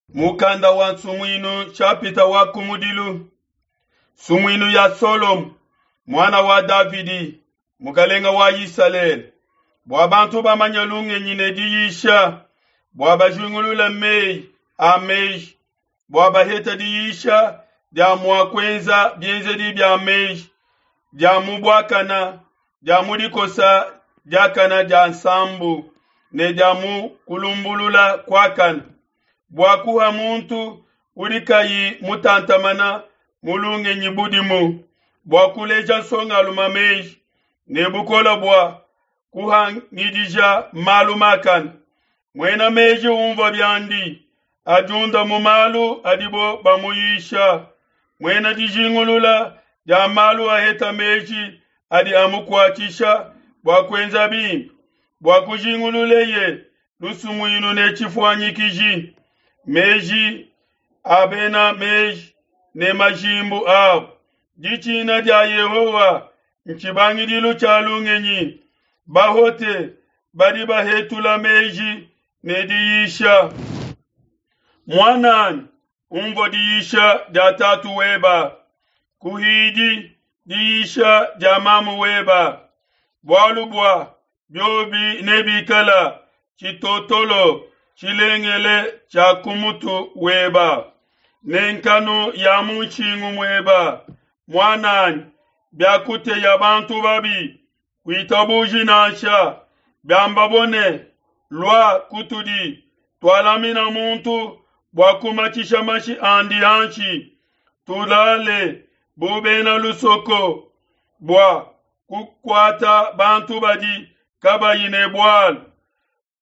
Mukanda wa Nsumuinu nshapita wa kumudilu. Nsumuinu ya Solomo, muana wa Davidi, mukalenga wa Isalele, bua bantu bamanye lungenyi ne diyisha, bua bajingulule meyi a meji, bua bahete diyisha dia mua kuenza bienzedi bia meji, dia mu buakana, dia mu dikosa diakana dia nsambu ne dia mu kulumbulula kuakana, bua kuha muntu udi kayi mutantamana mu lungenyi budimu, bua kuleja nsongalume meji ne bukole bua kuhangidija malu makane. Muena meji umvua biandi, adiunda mu malu adibo bamuyisha. Muena dijingulula dia malu aheta meji adi amukuatshisha bua kuenza bimpe, bua kujingululeye lusumuinu ne tshifuanyikiji, meji a bena meji ne majimbu abo. Ditshina dia Yehowa ntshibangidilu tshia lungenyi. Bahote badi bahetula meji ne diyisha. Muananyi, umvua diyisha dia tatu weba, kuhidi diyisha dia mamu weba, bualu bua biobi nebikala tshitotolo tshilengele tshia ku mutu weba ne nkanu ya mu nshingu mueba. Muananyi, biakuteya bantu babi, kuitabuji nansha. Biambabo ne, Lua kutudi, tualamina muntu bua kumatshisha mashi andi hanshi, tulale bu bena lusoko bua kukuata bantu badi kabayi ne bualu,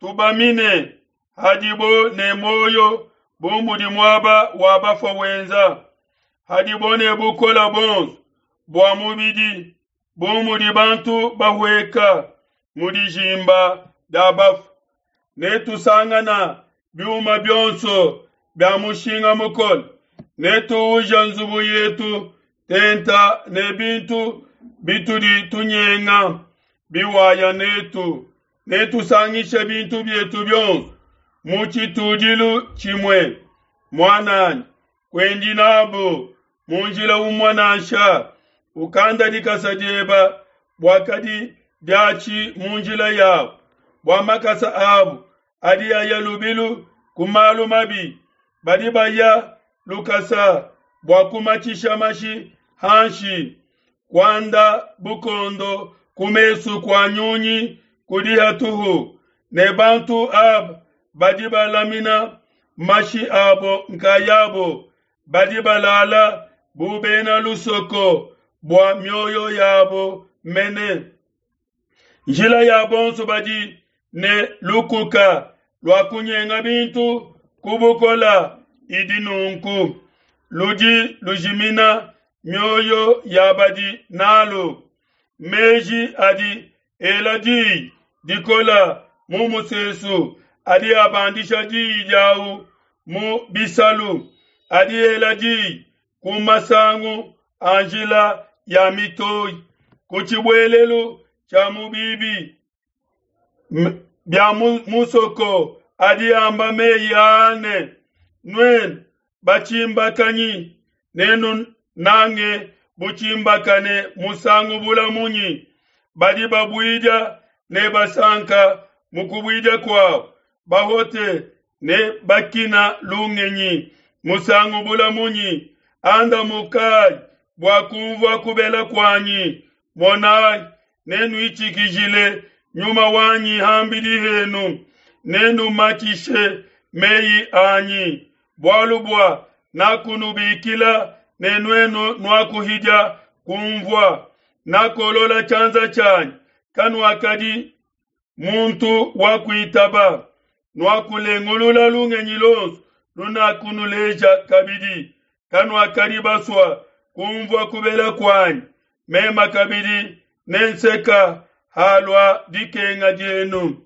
tubamine hadibo ne muoyo bu mudi muaba wa bafua wenza, hadibo ne bukole buonso bua mubidi bu mudi bantu bahueka mu dijimba dia bafue, netusangana biuma bionso bia mushinga mukole, netuuja nzubu yetu tenta ne bintu bitudi tunyenga biwaya netu, netusangishe bintu bietu bionso mu tshitudilu tshimue. Muananyi, kuendi nabo mu njila umue nansha, ukanda dikasa dieba bua kadi diatshi mu njila yabo, bua makasa abo adi aya lubilu ku malu mabi, badi baya lukasa bua kumatshisha mashi hanshi, kuanda bukondo ku mesu kua nyunyi kudi hatuhu, ne bantu aba badi balamina mashi abo nkayabo, badi balala bu bena lusoko bua mioyo yabo mene. Njila ya bonso badi ne lukuka lua kunyenga bintu ku bukola idi nunku, ludi lujimina mioyo ya badi nalu. Meji adi ela diyi dikola mu musesu, adi abandisha diyi diawu mu bisalu, adi ela diyi ku masangu a njila ya mitoyi, ku tshibuelelu tshia mu bibi bia musoko, adi amba meyi aa ne, Nuenu batshimbakanyi, nenunange butshimbakane musangu bula munyi? Badi babuidia ne basanka mu kubuidia kuabo, bahote ne bakina lungenyi musangu bula munyi? Andamukayi bua kumvua kubela kuanyi. Monayi, nenuitshikijile nyuma wanyi hambidi henu, nenumatshishe meyi anyi, bualu bua nakunubikila ne nuenu nuakuhidia kumvua. Nakolola tshianza tshianyi, kanuakadi muntu wa kuitaba, nuakulengulula lungenyi luonso lunakunuleja kabidi, kanuakadi basua kumvua kubela kuanyi. Mema kabidi nenseka halua dikenga dienu,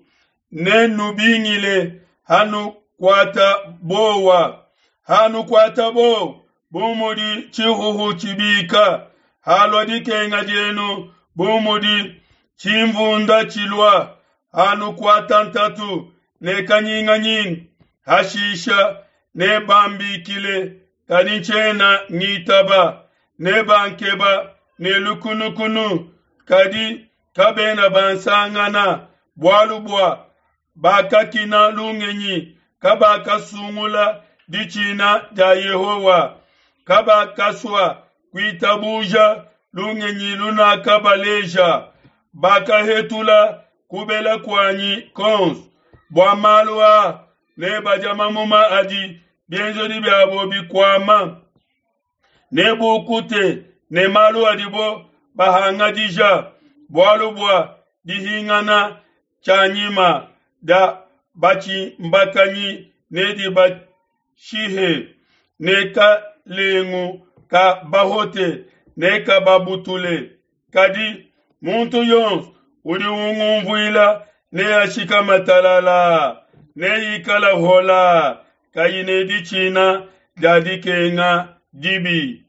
nenubingile hanukuata bowa, hanukuata bowa bu mudi tshihuhu tshibika, halua dikenga dienu bu mudi tshimvunda tshilua, hanukuata ntatu ne kanyinganyinga, hashisha. Nebambikile, kadi ntshiena ngitaba. Nebankeba ne lukunukunu, kadi kabena bansangana, bualu bua bakakina lungenyi, kabakasungula ditshina dia Yehowa, kabakasua kuitabuja lungenyi lunakabaleja, bakahetula kubela kuanyi kuonso. Bua malu aa nebadia mamuma adi bienzedi biabo bikuama, nebukute ne malu adibo bahangadija, bualu bua dihingana tshianyima dia batshimbakanyi nedibashihe, ne kalengu ka bahote nekababutule. Kadi muntu yonso udi ungumvuila neashikame talalaa, neikale holaa, kayi ne ditshina dia dikenga dibi.